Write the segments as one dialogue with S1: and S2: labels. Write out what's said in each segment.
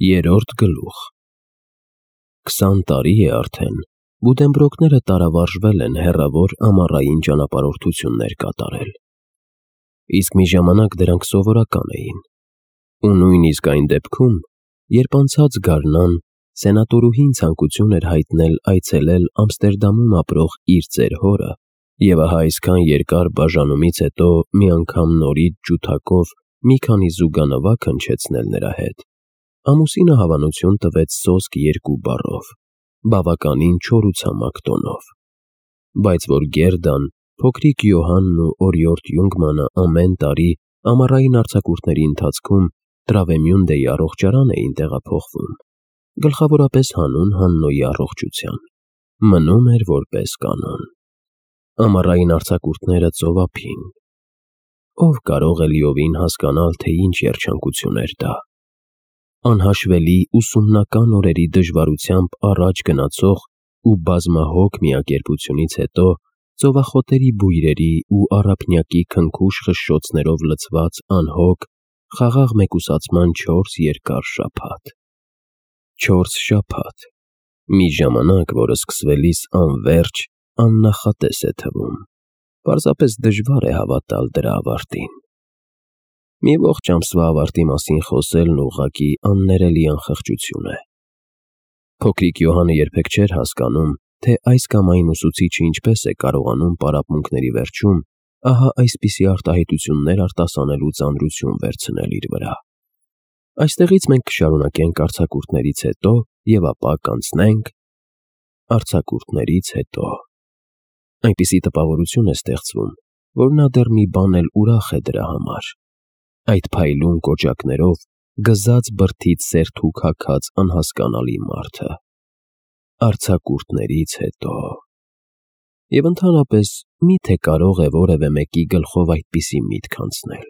S1: Երրորդ գլուխ 20 տարի է արդեն, Բուդենբրոկները տարավարժվել են հեռավոր ամառային ճանապարհորդություններ կատարել։ Իսկ մի ժամանակ դրանք սովորական էին։ Ու նույնիսկ այն դեպքում, երբ անցած գարնան սենատորուհին ցանկություն էր հայտնել այցելել Ամստերդամում ապրող իր ծեր հորը, եւ ահա այսքան երկար բաժանումից հետո մի անգամ նորից ջութակով մի քանի զուգանվակ հնչեցնել նրա հետ, ամուսինը հավանություն տվեց սոսկ 2 բառով, բավականին չորուցամակ տոնով, բայց որ Գերդան, փոքրիկ Յոհանն ու օրիորդ Յունգմանը ամեն տարի ամառային արձակուրդների ընթացքում Տրավեմյունդեի առողջարան էին տեղափոխվում, գլխավորապես հանուն Հաննոյի առողջության, մնում էր որպես կանոն։ Ամառային արձակուրդները ծովափին։ Ով կարող է լիովին հասկանալ, թե ինչ երջանկություն էր դա։ Անհաշվելի ուսումնական օրերի դժվարությամբ առաջ գնացող ու բազմահոգ միակերպությունից հետո ծովախոտերի բույրերի ու առափնյակի քնքուշ խշշոցներով լցված անհոգ, խաղաղ մեկուսացման 4 երկար շաբաթ։ 4 շաբաթ, մի ժամանակ, որը սկսվելիս անվերջ, աննախատես է թվում, պարզապես դժվար է հավատալ դրա ավարտին։ Մի ողջ ամսվա ավարտի մասին խոսելն ուղղակի աններելի անխղճություն է։ Փոքրիկ Յոհանը երբեք չէր հասկանում, թե այս կամ այն ուսուցիչը ինչպես է կարողանում պարապմունքների վերջում ահա այսպիսի արտահայտություններ արտասանելու ծանրություն վերցնել իր վրա։ Այստեղից մենք կշարունակենք արձակուրդներից հետո և ապա կանցնենք արձակուրդներից հետո։ Այնպիսի տպավորություն է ստեղծվում, որ նա դեռ մի բան էլ ուրախ է դրա համար։ Այդ փայլուն կոճակներով գզած բրդից սերթուք հագած անհասկանալի մարդը։ Արձակուրդներից հետո։ Եվ ընդհանրապես, միթե կարող է որևէ մեկի գլխով այդպիսի միտք անցնել։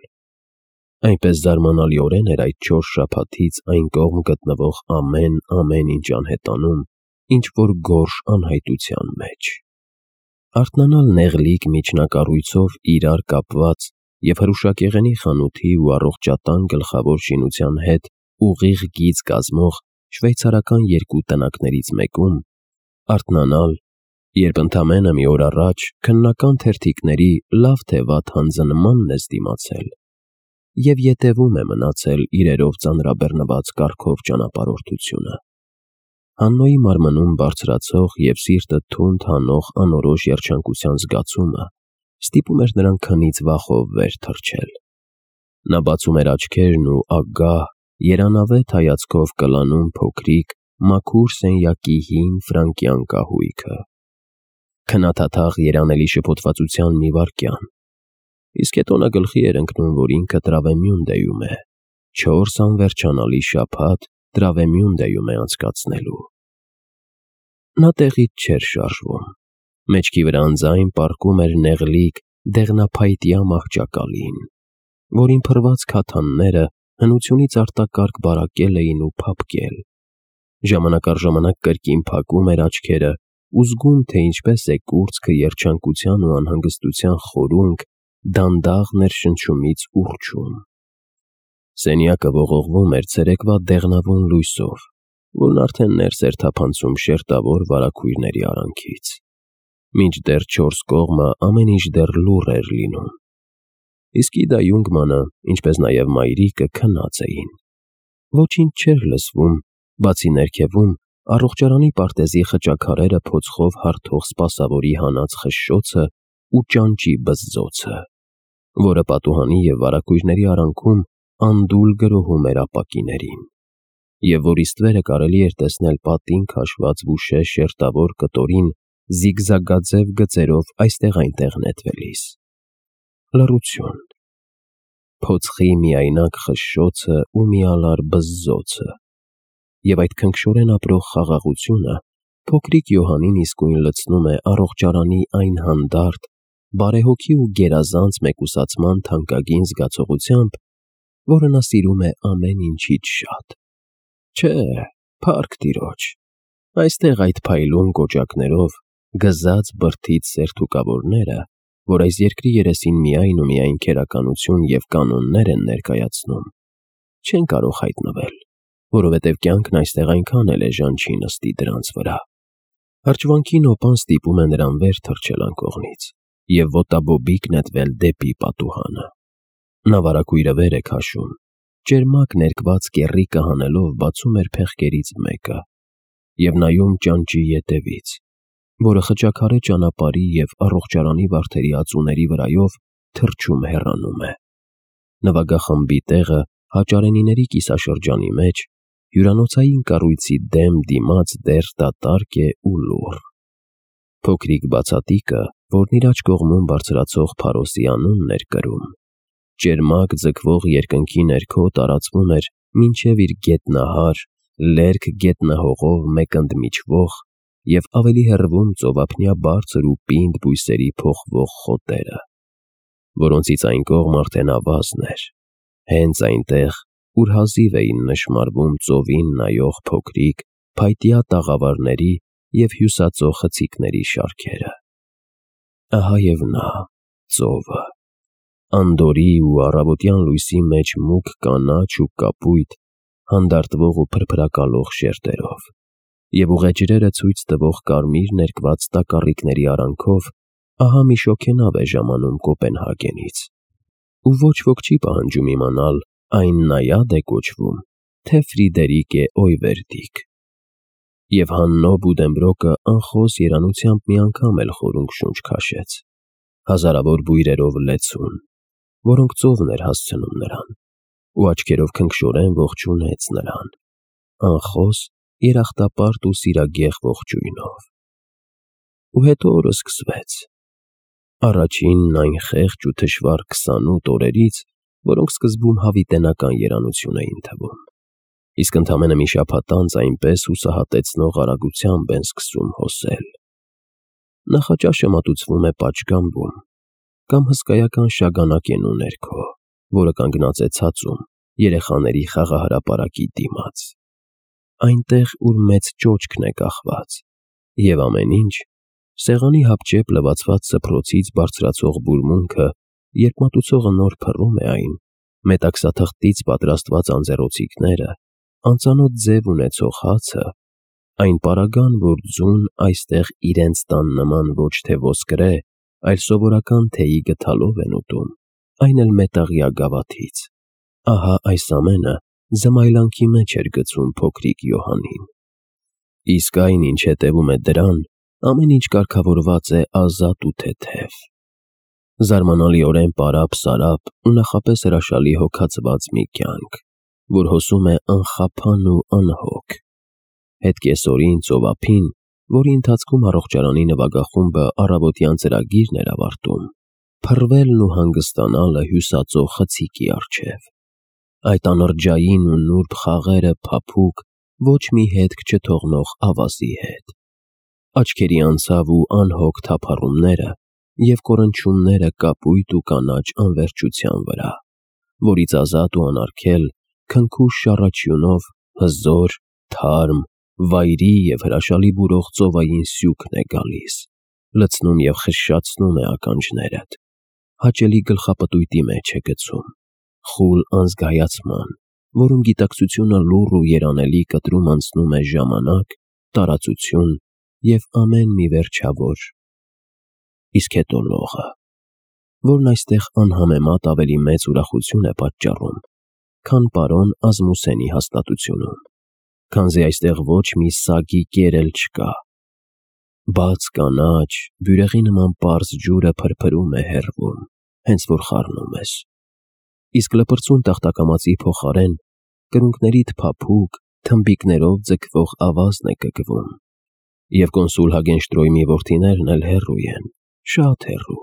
S1: Այնպես զարմանալիորեն էր այդ 4 շաբաթից այն կողմ գտնվող ամեն ինչ անհետանում, ինչ որ գորշ անհայտության մեջ։ Արթնանալ նեղլիկ միջնակառույցով իրար կապված և հրուշակեղենի խանութի ու առողջատան գլխավոր շինության հետ ուղիղ գիծ կազմող շվեյցարական 2 տնակներից մեկում, արթնանալ, երբ ընդամենը մի օր առաջ քննական թերթիկների լավ թե վատ հանձնմանն ես դիմացել և ետևում է մնացել իրերով ծանրաբեռնված կառքով ճանապարհորդությունը։ Հաննոյի մարմնում բարձրացող և սիրտը թունդ հանող անորոշ երջանկության զգացումը ստիպում էր նրան քնից վախով վեր թռչել։ Նա բացում էր աչքերն ու ագահ, երանավետ հայացքով կլանում փոքրիկ, մաքուր սենյակի հին ֆրանկյան կահույքը։ Քնաթաթախ երանելի շփոթվածության մի վայրկյան, իսկ հետո նա գլխի էր ընկնում, որ ինքը Տրավեմյունդեում է, 4 անվերջանալի շաբաթ Տրավեմյունդեում է անցկացնելու։ Նա տեղից չէր շարժվում, մեջքի վրա անձայն պառկում էր նեղլիկ, դեղնափայտյա մահճակալին, որին փռված քաթանները հնությունից արտակարգ բարակել էին ու փափկել, ժամանակ առ ժամանակ կրկին փակում էր աչքերը ու զգում, թե ինչպես է կուրծքը երջանկության ու անհանգստության խորունկ դանդաղ ներշնչումից ուռչում։ Սենյակը ողողվում էր ցերեկվա դեղնավուն լույսով, որն արդեն ներս էր թափանցում շերտավոր վարագույրների արանքից, մինչդեռ 4 կողմը ամեն ինչ դեռ լուռ էր լինում։ Իսկ Իդա Յունգմանը, ինչպես նաև մայրիկը քնած էին։ Ոչինչ չէր լսվում, բացի ներքևում առողջարանի պարտեզի խճաքարերը փոցխով հարթող սպասավորի հանած խշշոցը ու ճանճի բզզոցը, որը պատուհանի և վարագույրների արանքում անդուլ գրոհում էր ապակիներին, և որի ստվերը կարելի էր տեսնել պատին քաշված վուշե շերտավոր կտորին զիգզագաձև գծերով այստեղ-այնտեղ նետվելիս։ Լռություն, փոցխի միայնակ խշշոցը ու միալար բզզոցը, և այդ քնքշորեն ապրող խաղաղությունը փոքրիկ Յոհանին իսկույն լցնում է առողջարանի այն հանդարտ, բարեհոգի ու գերազանց մեկուսացման թանկագին զգացողությամբ, որը նա սիրում է ամեն ինչից շատ։ Չէ, փառք Տիրոջ, այստեղ այդ փայլուն կոճակներով գզած բրդից սերթուկավորները, որ այս երկրի երեսին միայն ու միայն քերականություն և կանոններ են ներկայացնում, չեն կարող հայտնվել, որովհետև կյանքն այստեղ այնքան էլ էժան չի նստի դրանց վրա։ Հրճվանքի նոպան ստիպում է նրան վեր թռչել անկողնից և ոտաբոբիկ նետվել դեպի պատուհանը։ Նա վարագույրը վեր է քաշում, ճերմակ ներկված կեռիկը հանելով բացում էր փեղկերից մեկը և նայում ճանճի ետևից, որը խճաքարե ճանապարհի և առողջարանի վարդերի ածուների վրայով թռչում հեռանում է։ Նվագախմբի տեղը Հաճարենիների կիսաշրջանի մեջ հյուրանոցային կառույցի դեմ դիմաց դեռ դատարկ է ու լուռ։ Փոքրիկ բացատիկը, որն իր աջ կողմում բարձրացող Փարոսի անունն էր կրում, ճերմակ ձգվող երկնքի ներքո տարածվում էր մինչև իր գետնահար, լերկ գետնահողով մեկ ընդմիջվող և ավելի հեռվում ծովափնյա բարձր ու պինդ բույսերի փոխվող խոտերը, որոնցից այն կողմ արդեն ավազն էր, հենց այնտեղ, ուր հազիվ էին նշմարվում ծովին նայող փոքրիկ, փայտյա տաղավարների և հյուսածո խցիկների շարքերը։ Ահա և նա, ծովը, անդորի ու առավոտյան լույսի մեջ մուգ կանաչ ու կապույտ, հանդարտվող ու փրփրակալող շերտերով, և ուղեջրերը ցույց տվող կարմիր ներկված տակառիկների արանքով, ահա մի շոգենավ է ժամանում Կոպենհագենից, ու ոչ ոք չի պահանջում իմանալ, այն Նայադ է կոչվում, թե Ֆրիդերիկ է Օյվերդիկ։ Եվ Հաննո Բուդենբրոկը անխոս երանությամբ մի անգամ էլ խորունգ շունչ քաշեց, հազարավոր բույրերով լեցուն, որոնք ծովն էր հասցնում նրան, ու աչքերով քնքշորեն ողջունեց նրան, անխոս երախտապարտ ու սիրագեղ ողջույնով։ Ու հետո օրը սկսվեց։ Առաջինն այն խեղճ ու թշվառ 28 օրերից, որոնք սկզբում հավիտենական երանություն էին թվում, իսկ ընդամենը մի շաբաթ անց այնպես հուսահատեցնող արագությամբ են սկսում հոսել։ Նախաճաշը մատուցվում է պատշգամբում կամ հսկայական շագանակենու ներքո, որը կանգնած է ցածում, երեխաների խաղահրապարակի դիմաց, այնտեղ, ուր մեծ ճոճքն է կախված, և ամեն ինչ, սեղանի հապճեպ լվացված սփռոցից բարձրացող բուրմունքը, երբ մատուցողը նոր փռում է այն, մետաքսաթղթից պատրաստված անձեռոցիկները, անծանոթ ձև ունեցող հացը, այն պարագան, որ ձուն այստեղ իրենց տան նման ոչ թե ոսկրե, այլ սովորական թեյի գդալով են ուտում, այն էլ մետաղյա գավաթից, ահա այս ամենը զմայլանքի մեջ էր գցում փոքրիկ Յոհաննին։ Իսկ այն, ինչ հետևում է դրան, ամեն ինչ կարգավորված է ազատ ու թեթև, զարմանալիորեն պարապ-սարապ ու նախապես հրաշալի հոգացված մի կյանք, որ հոսում է անխափան ու անհոգ։ Հետ կեսօրին ծովափին, որի ընթացքում առողջարանի նվագախումբը առավոտյան ծրագիրն էր ավարտում, փռվելն ու հանգստանալը հյուսածո խցիկի առջև, այդ անըրջային ու նուրբ խաղերը փափուկ, ոչ մի հետք չթողնող ավազի հետ, աչքերի անցավ ու անհոգ թափառումները և կոռնչյունները կապույտ ու կանաչ անվերջության վրա, որից ազատ ու անարգել, քնքուշ շառաչյունով հզոր, թարմ, վայրի և հրաշալի բուրող ծովային սյուքն է գալիս, լցնում և խշշացնում է ականջներդ, հաճելի գլխապտույտի մեջ է գցում, խուլ անզգայացման, որում գիտակցությունը լուռ ու երանելի կտրում անցնում է ժամանակ, տարածություն և ամեն մի վերջավոր, իսկ հետո լողը, որն այստեղ անհամեմատ ավելի մեծ ուրախություն է պատճառում, քան պարոն Ազմուսենի հաստատությունում, քանզի այստեղ ոչ մի սագի կեր էլ չկա։ Բաց կանաչ, բյուրեղի նման պարզ ջուրը փրփրում է հեռվում, հենց որ խառնում ես, իսկ լպրծուն տախտակամածի փոխարեն կրունկներիդ փափուկ, թմբիկներով ձգվող ավազն է կգվում, և կոնսուլ Հագենշտրոյմի որդիներն էլ հեռու են, շատ հեռու,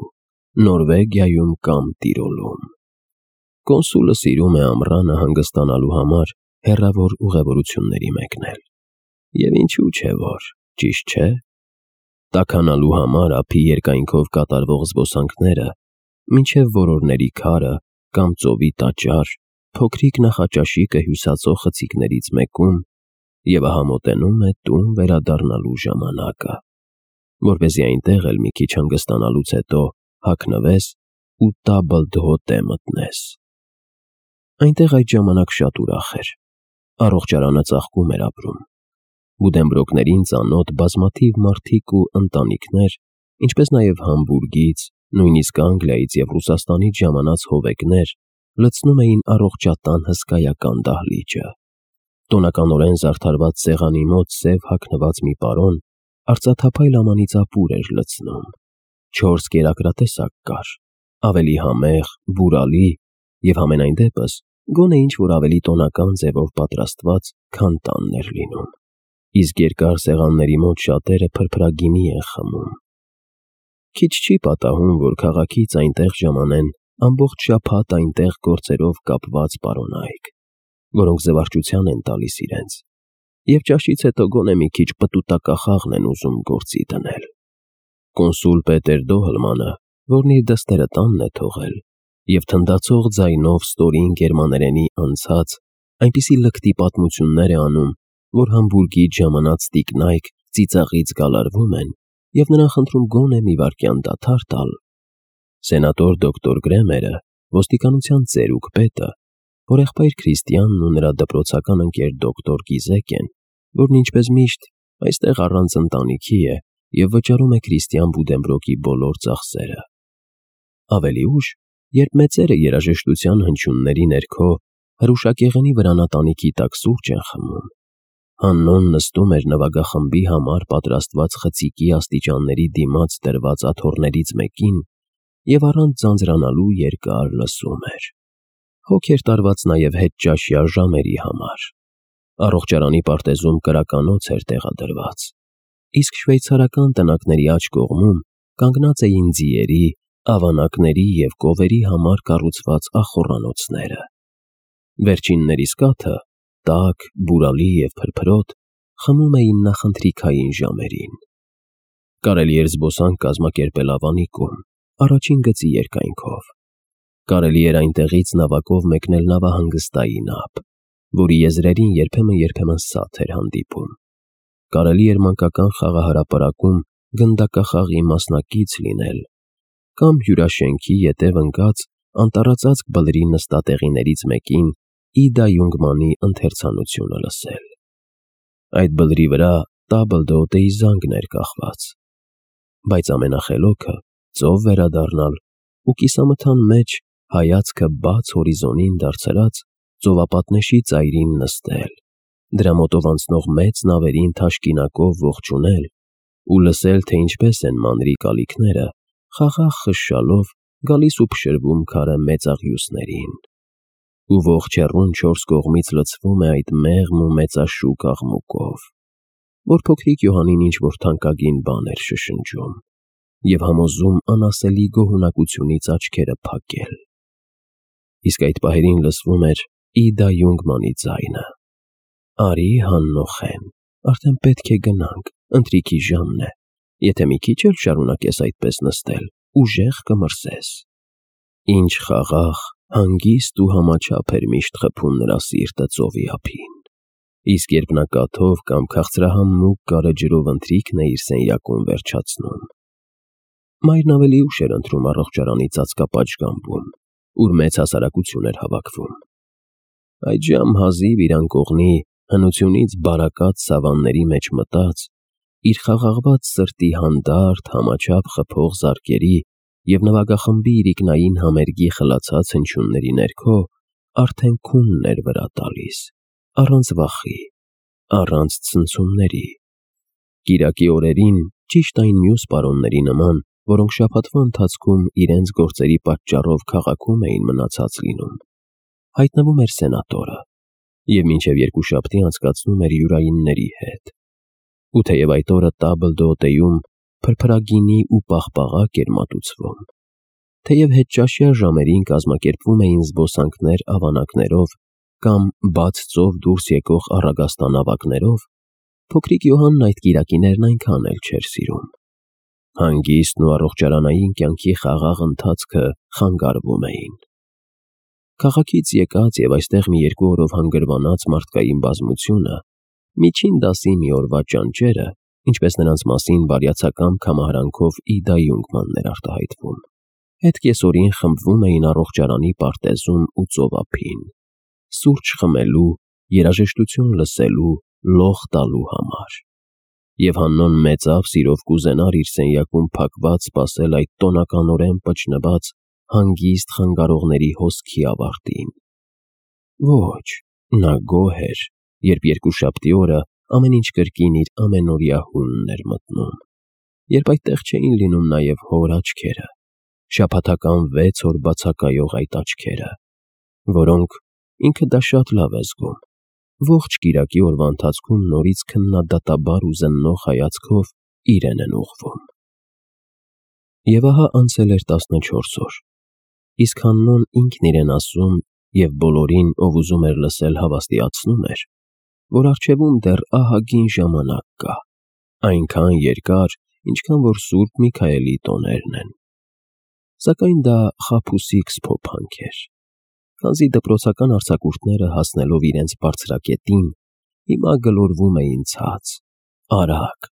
S1: Նորվեգիայում կամ Տիրոլում։ Կոնսուլը սիրում է ամռանը հանգստանալու համար հեռավոր ուղևորությունների մեկնել, և ինչու չէ որ, ճիշտ չէ։ Տաքանալու համար ափի երկայնքով կատարվող զբոսանքները, մինչև որորների քարը կամ ծովի տաճար, փոքրիկ նախաճաշիկը հյուսածո խցիկներից մեկում, և ահա մոտենում է տուն վերադառնալու ժամանակը, որպեսզի այնտեղ էլ մի քիչ հանգստանալուց հետո հագնվես ու տաբլդհոտե մտնես։ Այնտեղ այդ ժամանակ շատ ուրախ էր, Առողջարանը ծաղկում էր ապրում։ Բուդենբրոկներին ծանոթ բազմաթիվ մարդիկ ու ընտանիքներ, ինչպես նաև Համբուրգից, նույնիսկ Անգլիայից և Ռուսաստանից ժամանած հովեկներ լցնում էին առողջատան հսկայական դահլիճը։ Տոնականորեն զարդարված սեղանի մոտ սև հագնված մի պարոն արծաթափայլ ամանից ապուր էր լցնում։ 4 կերակրատեսակ կար, ավելի համեղ, բուրալի և համենայն դեպս գոնե ինչ-որ ավելի տոնական ձևով պատրաստված, քան տանն էր լինում, իսկ երկար սեղանների մոտ շատերը փրփրագինի են խմում։ Քիչ չի պատահում, որ քաղաքից այնտեղ ժամանեն ամբողջ շաբաթ այնտեղ գործերով կապված պարոնայք, որոնք զվարճության են տալիս իրենց, և ճաշից հետո գոնե մի քիչ պտուտակախաղն են ուզում գործի դնել։ Կոնսուլ Պետեր Դոհլմանը, որն իր դստերը տանն է թողել, և թնդացող ձայնով ստորին գերմաներենի անցած այնպիսի լկտի պատմություններ է անում, որ Համբուրգից ժամանած տիկնայք ծիծաղից գալարվում են և նրան խնդրում գոնե մի վայրկյան դադար տալ։ Սենատոր դոկտոր Գրեմերը, ոստիկանության ծերուկ պետը, հորեղբայր Քրիստիանն ու նրա դպրոցական ընկեր դոկտոր Գիզեկեն, որն ինչպես միշտ այստեղ առանց ընտանիքի է և վճարում է Քրիստիան Բուդենբրոկի բոլոր ծախսերը։ Ավելի ուշ, երբ մեծերը երաժշտության հնչյունների ներքո հրուշակեղենի վրանատանիքի տակ սուրճ են խմում, Հաննոն նստում էր նվագախմբի համար պատրաստված խցիկի աստիճանների դիմաց դրված աթոռներից մեկին և առանց ձանձրանալու երկար լսում էր։ Հոգ էր տարված նաև հետճաշյա ժամերի համար։ Առողջարանի պարտեզում կրականոց էր տեղադրված, իսկ շվեյցարական տնակների աջ կողմում կանգնած էին ձիերի, ավանակների և կովերի համար կառուցված ախոռանոցները։ Վերջիններիս կաթը, տաք, բուրալի և փրփրոտ, խմում էին նախընթրիքային ժամերին։ Կարելի էր զբոսանք կազմակերպել Ավանիկում, առաջին գծի երկայնքով։ Կարելի էր այնտեղից նավակով մեկնել նավահանգստային ափ, որի եզրերին երբեմն սաթ էր հանդիպում։ Կարելի էր մանկական խաղահրապարակում գնդակախաղի մասնակից լինել կամ հյուրաշենքի ետև ընկած անտառածածկ բլրի նստատեղիներից մեկին Իդա Յունգմանի ընթերցանությունը լսել։ Այդ բլրի վրա տաբլդոտեի զանգն էր կախված, բայց ամենախելոքը ծով վերադառնալ ու կիսամթան մեջ հայացքը բաց հորիզոնին դարձրած ծովապատնեշի ծայրին նստել, դրա մոտով անցնող մեծ նավերին թաշկինակով ողջունել ու լսել, թե ինչպես են մանրի կալիքները խաղաղ խշշալով գալիս ու փշրվում քարե մեծաղյուսներին, ու ողջ հեռուն 4 կողմից լցվում է այդ մեղմ ու մեծաշուք աղմուկով, որ փոքրիկ Յոհանին ինչ-որ թանկագին բան էր շշնջում և համոզում անասելի գոհունակությունից աչքերը փակել։ Իսկ այդ պահերին լսվում էր Իդա Յունգմանի ձայնը. «Արի, Հաննոխեն, արդեն պետք է գնանք, ընթրիքի ժամն է, եթե մի քիչ էլ շարունակես այդպես նստել, ուժեղ կմրսես»։ Ինչ խաղաղ, հանգիստ ու համաչափ էր միշտ խփում նրա սիրտը ծովի ափին, իսկ երբ նա կաթով կամ քաղցրահամ մուգ կարը ջրով ընթրիքն է իր սենյակում վերջացնում։ Մայրն ավելի ուշ էր ընթրում առողջարանի ծածկապատժգամբում, ուր մեծ հասարակություն էր հավաքվում։ Այդժամ հազիվ իր անկողնի հնությունից բարակած սավանների մեջ մտած, իր խաղաղված սրտի հանդարտ, համաչափ խփող զարկերի և նվագախմբի իրիկնային համերգի խլացած հնչյունների ներքո արդեն քունն էր վրա տալիս, առանց վախի, առանց ցնցումների։ Կիրակի օրերին, ճիշտ այն մյուս պարոնների նման, որոնք շաբաթվա ընթացքում իրենց գործերի պատճառով քաղաքում էին մնացած լինում, հայտնվում էր սենատորը և մինչև երկուշաբթի անցկացնում էր յուրայինների հետ։ Ու թեև այդ օրը տաբլդոտեյում փրփրագինի ու պաղպաղակ էր մատուցվում, թեև հետճաշյա ժամերին կազմակերպվում էին զբոսանքներ ավանակներով կամ բաց ծով դուրս եկող առագաստանավակներով, փոքրիկ Յոհանն այդ կիրակիներն այնքան էլ չէր սիրում։ Հանգիստն ու առողջարանային կյանքի խաղաղ ընթացքը խանգարվում էին։ Քաղաքից եկած և այստեղ մի երկու օրով հանգրվանած մարդկային բազմությունը, միջին դասի մի օրվա ճանճերը, ինչպես նրանց մասին բարյացակամ կամահարանքով Իդա Յունգմանն էր արտահայտվում, հետ կեսօրին խմբվում էին առողջարանի պարտեզում ու ծովափին, սուրճ խմելու երաժշտություն լսելու, լող տալու համար։ Եվ Հաննոն մեծավ սիրով կուզենար իր սենյակում փակված սպասել այդ տոնականորեն պճնված հանգիստ խանգարողների հոսքի ավարտին։ Ոչ, նա գոհ էր, երբ երկուշաբթի օրը ամեն ինչ կրկին իր ամենօրյա հունն էր մտնում, երբ այդտեղ չէին լինում նաև հոր աչքերը, շաբաթական 6 օր բացակայող այդ աչքերը, որոնք, ինքը դա շատ լավ է զգում, ողջ կիրակի օրվա ընթացքում նորից քննադատաբար ու զննող հայացքով իրեն են ուղղվում։ Եվ ահա անցել էր 14 օր, իսկ Հաննոն ինքն իրեն ասում և բոլորին, ով ուզում էր լսել, հավաստիացնում էր, որ առջևում դեռ ահագին ժամանակ կա, այնքան երկար, ինչքան որ Սուրբ Միքայելի տոներն են։ Սակայն դա խաբուսիկ սփոփանք էր, քանզի դպրոցական արձակուրդները հասնելով իրենց բարձրակետին, հիմա գլորվում էին ցած, արագ,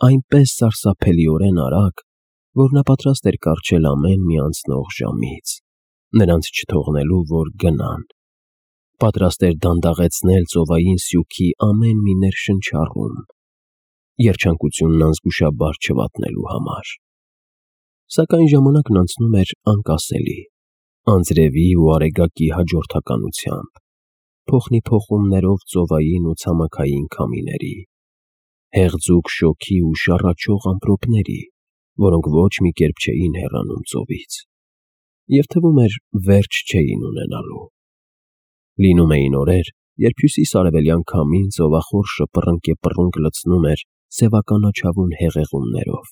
S1: այնպես սարսափելիորեն արագ, որ նա պատրաստ էր կառչել ամեն մի անցնող ժամից, նրանց չթողնելու, որ գնան, պատրաստ էր դանդաղեցնել ծովային սյուքի ամեն մի ներշնչառում, երջանկությունն անզգուշաբար չվատնելու համար։ Սակայն ժամանակն անցնում էր անկասելի, անձրևի ու արեգակի հաջորդականությամբ, փոխնի փոխումներով ծովային ու ցամաքային քամիների, հեղձուկ շոգի ու շառաչող ամպրոպների, որոնք ոչ մի կերպ չէին հեռանում ծովից, և թվում էր վերջ չէին ունենալու։ Լինում էին օրեր, երբ հյուսիս-արևելյան քամին ծովախորշը պռնկեպռունկ լցնում էր սևականաչավուն հեղեղումներով,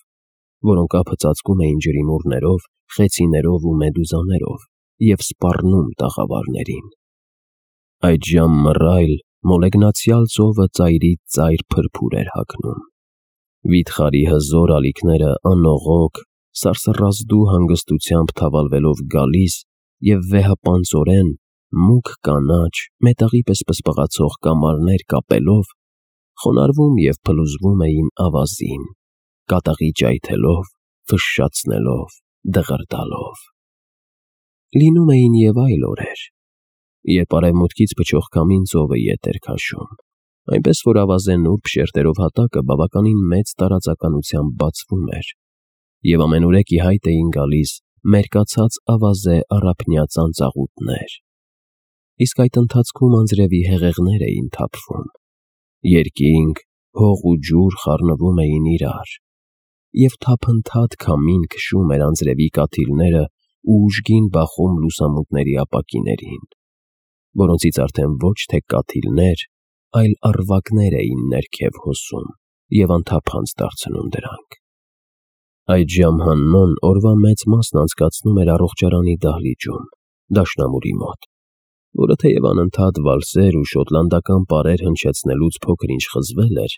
S1: որոնք ափը ծածկում էին ջրիմուռներով, խեցիներով ու մեդուզաներով և սպառնում տաղավարներին։ Այդժամ մռայլ, մոլեգնացյալ ծովը ծայրից ծայր փրփուր էր հագնում։ Վիթխարի հզոր ալիքները անողոք, սարսռազդու հանգստությամբ թավալվելով գալիս և վեհապանծորեն, մուգ կանաչ, մետաղի պես պսպղացող կամարներ կապելով, խոնարհվում և փլուզվում էին ավազին, կատաղի ճայթելով, ֆշշացնելով, դղրդալով։ Լինում էին և այլ օրեր, երբ արևմուտքից փչող քամին ծովը ետ էր քաշում, այնպես որ ավազե նուրբ շերտերով հատակը բավականին մեծ տարածականությամբ բացվում էր, և ամենուրեք ի հայտ էին գալիս մերկացած ավազե առափնյա ծանծաղուտներ, իսկ այդ ընթացքում անձրևի հեղեղներ էին թափվում, երկինք, հող ու ջուր խառնվում էին իրար, և թափընթադ քամին քշում էր անձրևի կաթիլները ու ուժգին բախում լուսամուտների ապակիներին, որոնցից արդեն ոչ թե կաթիլներ, այլ առվակներ էին ներքև հոսում և անթափանց դարձնում դրանք։ Այդժամ Հաննոն օրվա մեծ մասն անցկացնում էր առողջարանի դահլիճում, դաշնամուրի մոտ, որը թեև անընդհատ վալսեր ու շոտլանդական պարեր հնչեցնելուց փոքր-ինչ խզվել էր,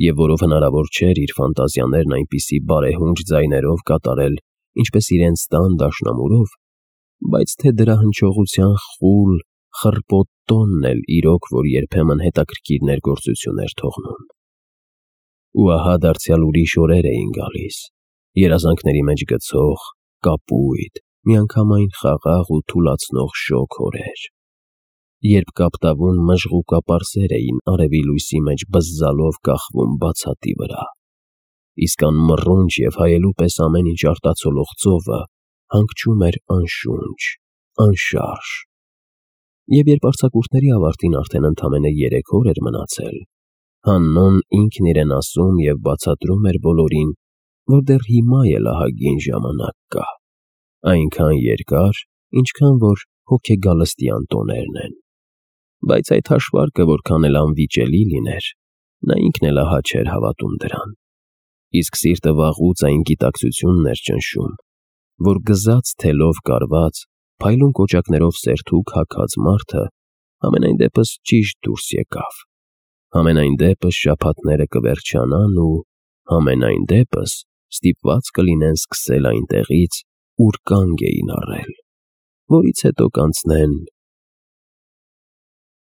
S1: և որով հնարավոր չէր իր ֆանտազիաներն այնպիսի բարեհունչ ձայներով կատարել, ինչպես իրենց տան դաշնամուրով, բայց թե դրա հնչողության խուլ, խռպոտ տոնն էլ իրոք, որ երբեմն հետաքրքիր ներգործություն էր թողնում։ Ու ահա դարձյալ ուրիշ օրեր էին գալիս, երազանքների մեջ գցող, կապույտ, միանգամայն խաղաղ ու թուլացնող շոգ օրեր, երբ կապտավուն մժղուկապարսեր էին արևի լույսի մեջ բզզալով կախվում բացատի վրա, իսկ անմռունչ և հայելու պես ամեն ինչ արտացոլող ծովը հանգչում էր անշունչ, անշարժ։ Եվ երբ արձակուրդների ավարտին արդեն ընդամենը 3 օր էր մնացել, Հաննոն ինքն իրեն ասում և բացատրում էր բոլորին, որ դեռ հիմա էլ ահագին ժամանակ կա, այնքան երկար, ինչքան որ հոգեգալստյան տոներն են, բայց այդ հաշվարկը որքան էլ անվիճելի լիներ, նա ինքն էլ ահա չէր հավատում դրան, իսկ սիրտը վաղուց այն գիտակցությունն էր ճնշում, որ գզած թելով կարված, փայլուն կոճակներով սերթուկ հագած մարդը համենայն դեպս ճիշտ դուրս եկավ, համենայն դեպս շաբաթները կվերջանան ու համենայն դեպս ստիպված կլինեն սկսել այնտեղից, ուր կանգ էին առել, որից հետո կանցնեն